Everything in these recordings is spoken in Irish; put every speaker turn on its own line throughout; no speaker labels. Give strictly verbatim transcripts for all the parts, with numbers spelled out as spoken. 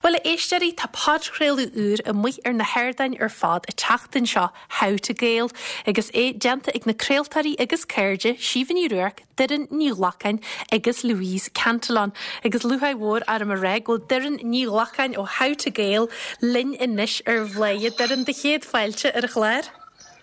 Bhuel a éisteoirí tá podchraoladh úr amuigh ar na hardáin ar fad an tseachtain seo How to Gael, agus é déanta ag na craoltóirí agus cairde Síomha Ní Ruairc, Doireann Ní Ghlacáin agus Louise Cantillon. Agus lúcháir mhór orm a rá go bhfuil Doireann Ní Ghlacáin ó How to Gael linn anois ar Bhladhaire Doireann do chéad fáilte ar an chlár.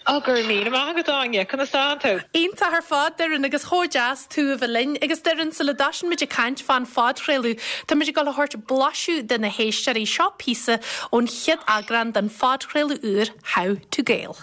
Á gur mí amach go dáine chuna tú.
Iontach ar fad Doireann agus chomh deas tú a bheith linn agus Doireann sula dtosaíonn muid ag caint fán phodchraoladh Tá muid ag dul a thabhairt blaiseadh do na héisteoirí seo píosa ón chéad eagrán den phodchraoladh úr How to Gael.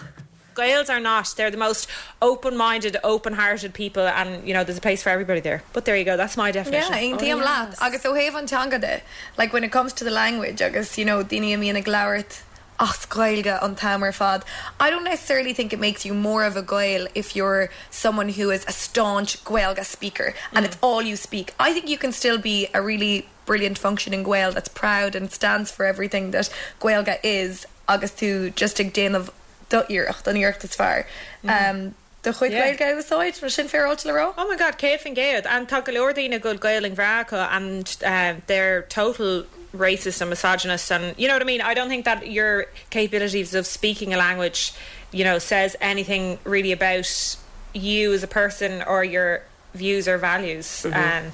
Gaels are not they're the most open-minded open-hearted people and you know there's a place for everybody there but there you go that's my definition
yeah, aontaím oh, leat agus ó thaobh an teanga de like when it comes to the language agus you know daoine a bhíonn ag labhairt as Gaeilge an t-am ar fad. I don't necessarily think it makes you more of a Gael if you're someone who is a staunch Gaeilge speaker and mm. it's all you speak. I think you can still be a really brilliant functioning Gael that's proud and stands for everything that Gaeilge is agus tú just ag déanamh do iarracht an iarracht is fearr. Mm. Um, do chuid Gaeilge a úsáid mar sin féráilte le rá?
Oh my god céad faoin gcéad an tá go leor daoine go Gaelainn bhreá acu and uh, they're total racist and misogynist and you know what I mean I don't think that your capabilities of speaking a language you know says anything really about you as a person or your views or values mm -hmm. um,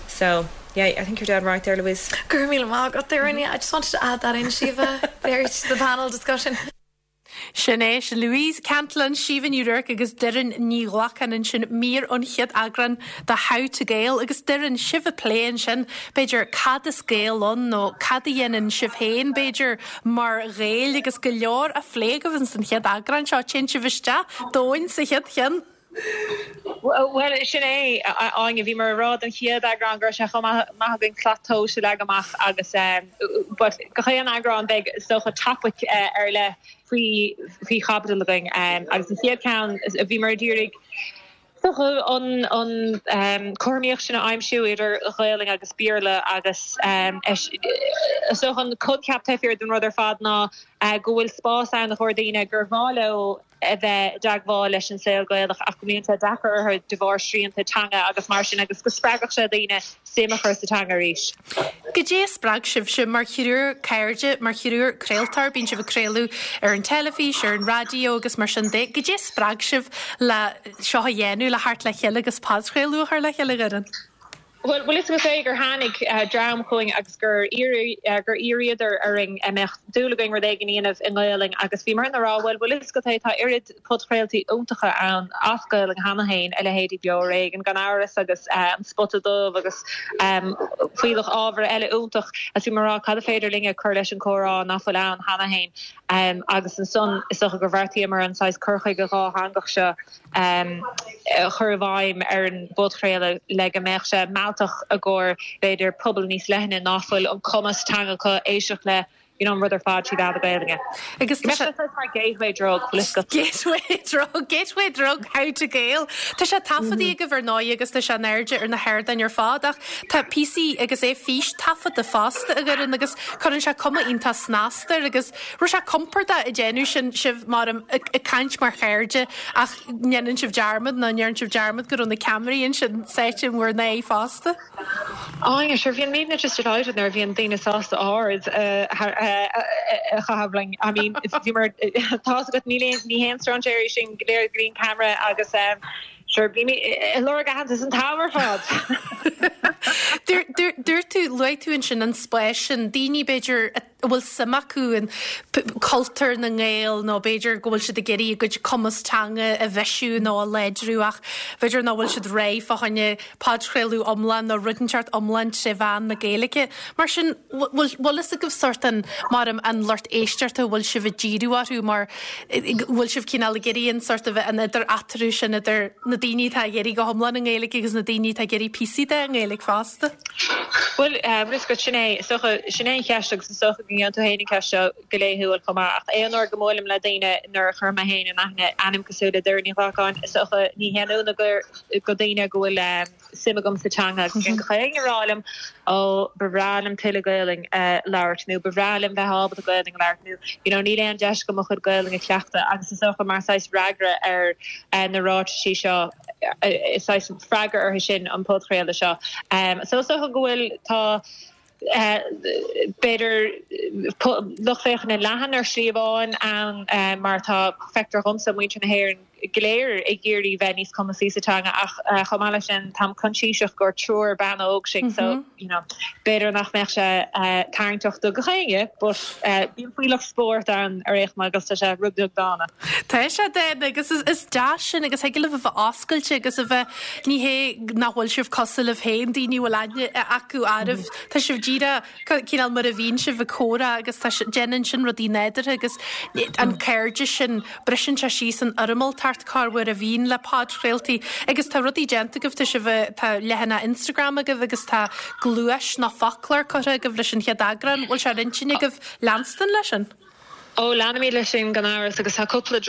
so yeah I think you're dead right there Louise
Gur mí got there mm -hmm. I just wanted to add that in Síomha there to the panel discussion.
Sin é Louise Cantillon Síomha Ní Ruairc agus Doireann Ní Ghlacáin ansin mír ón chéad eagrán de How to Gael agus Doireann sibh ag plé ansin b'fhéidir cad is Gael ann nó cad a dhéanann sibh féin b'fhéidir mar Ghaeil agus go leor á phlé agaibh san chéad eagrán seo téann sibh isteach domhain sa chéad cheann.
Well sin é Áine bhí mar rá an chéad eagrán gur se chomh maith againn slat tomhais a leagan amach agus but gach aon eagrán beidh socha topic uh, ar le faoi faoi chaibidil againn um, agus an chéad ceann bhí mar dúrig an an um, cothromaíocht sin a aimsiú idir Ghaelainn agus Béarla agus um, so an coincheap taobh den rud ar fad ná uh, go bhfuil spás ann do dhaoine gur mhaith leo a bheith i dteagmháil leis an saol Gaelach ach go mbíonn sé deacair orthu de bharr srianta teanga agus mar sin agus go spreagfadh sé daoine suim a chur sa teanga arís.
Cad é a spreag sibhse mar thriúr cairde mar thriúr craoltóir bíonn sibh ag craoladh ar an teilifís ar an raidió agus mar sin de, Cad é a spreag sibh le seo a dhéanamh le theacht le chéile agus podchraoladh a chur le chéile Doireann.
Well well is go sé gur tháinig uh, dream chugainn agus gur uh, gur iarradar orainn an mbeadh dúil againn rud éigin a dhéanamh i nGaelainn agus bhí mar rá well well is go tá oiread podchraoltaí iontacha ann as Gaelainn cheana féin a leithéidí Beo Ar Éigean gan amhras agus uh, an Spota Dubh agus um, fuíoch ábhar eile iontach as bhí mar rá cad féidir linn a chur leis an chomhrá nach bhfuil ann cheana féin um, agus ansan is gur bheartaíomar an saghas cur chuige dátheangach seo um, chur i bhfeidhm ar an bpodchraoladh le go mbeadh sé mealltach i gcomhair b'fhéidir pobal níos leithne nach bhfuil an cumas teanga acu éisteacht le you know, rud ar fad trí mheán na Gaeilge.
Agus
mar gateway drug
Gateway drug Gateway drug how to Gael. Tá sé taifeadta agaibh ar ndóigh agus tá sé in airde ar na hardáin ar fad ach tá píosaí agus é fístaifeadta fosta a Dhoireann agus cuireann sé cuma iontach snasta agus ru sé compordach ag déanamh sin sibh mar ag caint mar chairde ach ndéanann sibh dearmad ná ndéanann sibh dearmad go na ceamaraí ansin sáite bhur n-aghaidh fosta.
Á sure bhíonn mé just delighted nuair bhíonn daoine sásta aird a chaitheamh linn I mean bhí mar tá go ní ní haon strainséirí sin go léir green camera agus um, Sure bhí lorg aitheantas an t-am ar fad.
Dúirt tú luaigh tú ansin an spás sin daoine b'fhéidir a bhfuil suim acu in cultúr na nGael nó b'fhéidir go bhfuil siad ag iarraidh a gcuid cumas teanga a bhreisiú nó a láidriú ach b'fhéidir nach bhfuil siad réidh fá choinne podchraoladh iomlán nó rud inteacht iomlán trí mheán na Gaeilge. Mar sin bhfuil fhios agaibh sort an mar an lucht éisteachta bhfuil sibh ag díriú orthu mar bhfuil sibh cineál ag iarraidh an sort of an idir eatarthu sin idir na daoine atá ag iarraidh go hiomlán i nGaeilge agus na daoine atá ag iarraidh píosaí de i nGaeilge fosta.
Well um, go sin é sin é an cheist agus socha go tú héana ceist seo go laethúil chomh maith ach aon uair go mbuailim le daoine nuair a chuir mé féin in aithne ainm cosúil le Doireann Ní Ghlacáin socha ní haon ionadh gur go daoine go bhfuil um, suim agam sa teanga go chuig rá liom ó ba bhreá liom tuilleadh Gaelainn uh, labhairt nó ba bhreá liom bheith ábalta Gaelainn labhairt nó you know, níl aon deis agam mo chuid Gaelainn a chleachtadh agus is socha mar saghas freagra ar uh, na ráitisí seo uh, is freagra orthu sin an podchraoladh seo. Um, so socha go bhfuil tá B'fhéidir lucht féachana leathan ar shlí amháin ann mar tá feictear dhomsa muintir na hÉireann go léir ag iarraidh bheith níos cumasaí sa teanga ach chomh maith leis sin táim coinsiasach gur triúr bean óg sinn so you know b'fhéidir nach mbeadh sé tarraingteach do gach éinne but bíonn fuílleach spóirt ann ar aon chuma agus tá sé rud beag dána.
Tá sé dána agus is deas sin agus thig libh a bheith oscailte agus a bheith ní hé nach bhfuil sibh cosúil libh féin daoine bhfuil aithne acu oraibh Tá sibh díreach cineál mar a bhíonn sibh ag comhrá agus tá déanann sin rudaí nádúrtha agus an cairdeas sin briseann sé síos an fhoirmeáltacht corruair a bhíonn le podchraoltaí agus tá rudaí déanta agaibh tá sibh tá leathanach Instagram agaibh agus tá gluais nó foclóir curtha agaibh leis an chéad eagrán bhfuil sé ar intinn agaibh leanstan leis sin?
Ó leanfaimid leis sin gan amhras agus tá cúpla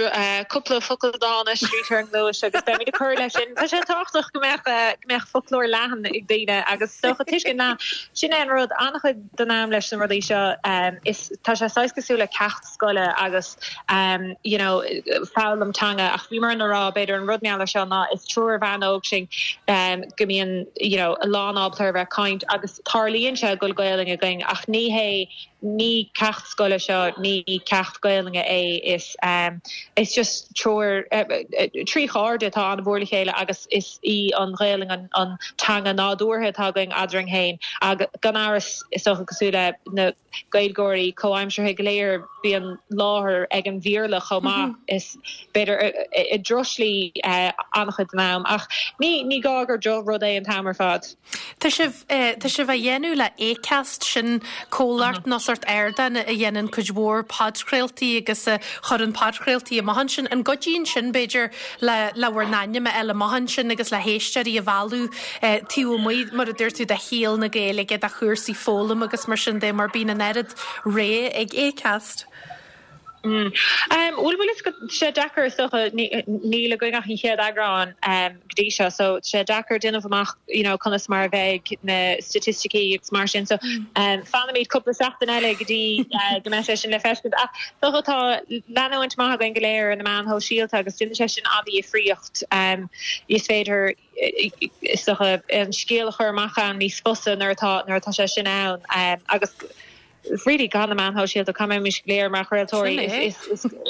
cúpla focal dána scríte ar an ngluais agus beimid ag cur leis sin. Tá sé tábhachtach go mbeadh go mbeadh foclóir leathan ag daoine agus dócha tuiscint ná sin é an rud an-chuid den am leis na rudaí seo um, is tá sé saghas cosúil le ceacht scoile agus um, you know, foghlaim teanga ach bhí mar an rá b'fhéidir an rud meala seo ná is triúr bhean óg sinn um, go mbíonn you know, a lán ábalta a bheith caint agus tarlaíonn sé go bhfuil Gaelainn againn ach ní hé ní ceacht scoile seo ní ceacht Gaelainne é is um, is just triúr uh, trí chairde atá an-mhór le chéile agus is í an Ghaelainn an, an teanga nádúrtha atá againn eadrainn féin ag gan amhras is dócha cosúil le na Gaeilgeoirí comhaimseartha go léir bíonn láthair ag an Bhéarla chomh maith is b'fhéidir i drochshlí an-chuid den am ach ní ní gá gur drochrud é an t-am ar fad.
Tá sibh tá sibh á dhéanamh le Acast sin comhlacht nó sórt ardán a dhéanann cuid mhór podchraoltaí agus a chuireann podchraoltaí amach ansin an gcuidíonn sin b'fhéidir le le bhur n-ainm a fháil amach ansin agus le héisteoirí a mhealladh taobh amuigh mar a dúirt tú de shaol na Gaeilge de chúrsaí foghlaim agus mar sin de mar bíonn an oiread ré ag Acast.
Mm. Um, Bhuel bhfuil sé deacair is dócha níl againn ach an chéad eagrán um, go dtí seo, so sé deacair déanamh amach you know, conas mar a bheidh na staitisticí agus mar sin so um, fanfaimid cúpla seachtain eile go dtí uh, go mbeidh sé sin le feiscint ach dócha tá leanúint maith againn go léir na meáin shóisialta agus déanann sé sin an-difríocht um, is féidir is dócha an scéal a chur amach an níos fusa nuair atá nuair atá sé sin ann um, agus really gan na meáin shóisialta cá mbeimid go léir mar chraoltóirí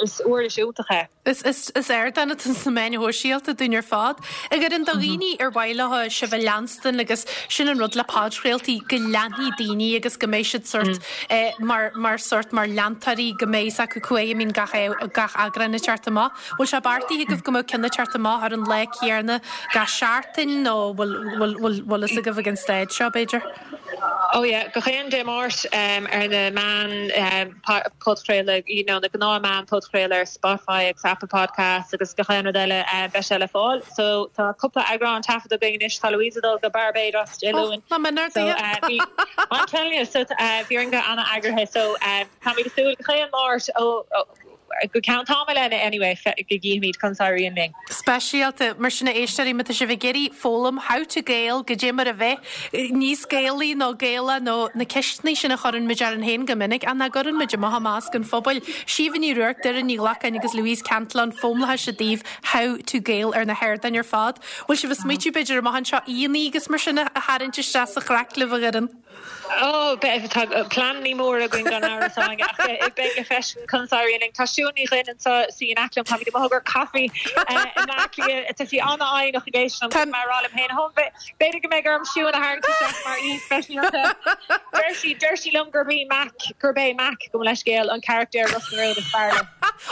is uirlis iontach é.
Is is is ardán atá sna meáin shóisialta dúinn ar fad. Agur an do dhaoine ar mhaith leo sibh a leanstan agus sin an rud le podchraoltaí go leanfaidh daoine agus go mbeidh siad sórt eh, mar mar sórt mar leantóirí go mbeidh acu chuige mín gach gach eagrán ag teacht amach. Bhfuil sé beartaithe agaibh go mbeadh ceann ag teacht amach ar an lá céanna gach seachtain nó bhfuil bhfuil bhfuil fhios agaibh ag an staid seo b'fhéidir?
Oh yeah, gach aon Dé Máirt um, ar na meáin um, podchraoladh you know, na gnáthmheáin podchraoladh ar Spotify agus Apple Podcast agus gach aon rud eile uh, beidh sé le fáil. So tá cúpla eagrán taifeadta againn anois tá Louise dul go Barbados Dé Luain.
Oh,
so, uh, I'm telling you so uh, bhí an an-eagraithe so um, tá mé súil gach aon Máirt ó go ceann tamaill eile anyway go gcífimid conas a éiríonn linn.
Speisialta mar sin éisteoirí má tá sibh ag iarraidh foghlaim how to Gael goidé mar a bheith níos Gaelaí nó Gaelaí nó na ceisteanna sin a chuireann muid orainn féin go minic an na gcuireann muid amach i measc an phobail. Síomha Ní Ruairc Doireann Ní Ghlacáin agus Louise Cantillon foghlaimeoidh sibh daoibh how to Gael ar na hardáin ar fad. Bhfuil sibh ag smaointiú b'fhéidir amach anseo aíonna agus mar sin a tharraingt isteach sa chraic libh a Dhoireann.
Oh tá pleananna mór againn gan amhras ach beidh le feiscint conas a éiríonn tá Siún Ní Dhuinn anseo sí in aice liom tá mo thug caife Tá sí an-fhoighneach ag éisteacht mar rá féin hom b'fhéidir go mbeidh orm Siún a tharraingt mar aoi speisialta. Deir sí deir sí liom gurb í Mac gurb é Mac go leiscéal an charachtar Ros na Rún is fearr.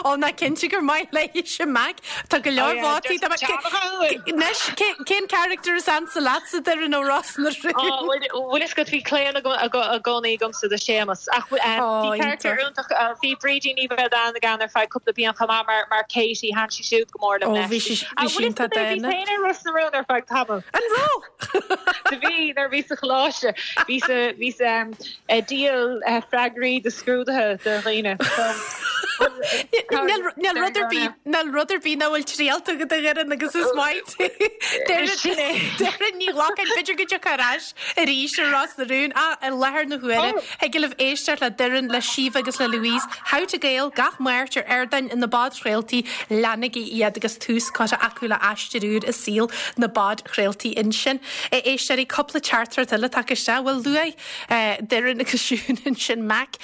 Ó ná cinnte gur maith léi sin Mac Tá go leor vótaí Anois cén charachtar is ansa leatsa Doireann ó Ros na Rún.
Bhfuil is go bhí claon i gcónaí agamsa do Séamus ach bhí charachtar iontach bhí Brídín Ní Bhraonáin againn ar feadh cúpla bliain chomh maith mar mar Katie thaithin sí siúd go mór liom
leis. Bhí sí iontach
dána. Bhí féin Ros na Rún ar feadh tamaill.
An raibh?
Bhí nuair bhí sa choláiste bhí bhí díol freagraí de scrúduithe do dhaoine.
Níl rud ar bith níl rud ar bith nach bhfuil triailte agat a Dhoireann agus is maith Doireann Ní Ghlacáin b'fhéidir go dtiocfaidh ar ais arís ar Ros na Rún ach i láthair na huaire thig libh éisteacht le Doireann le Síomha agus le Louise How to Gael gach Máirt ar ardáin na bpodchraoltaí leanaigí iad agus tús curtha acu le aistear úr i saol na bpodchraoltaí ansin. Éisteoirí cúpla teachtaireacht eile tagtha isteach bhuel luaigh Doireann agus Siún ansin Mac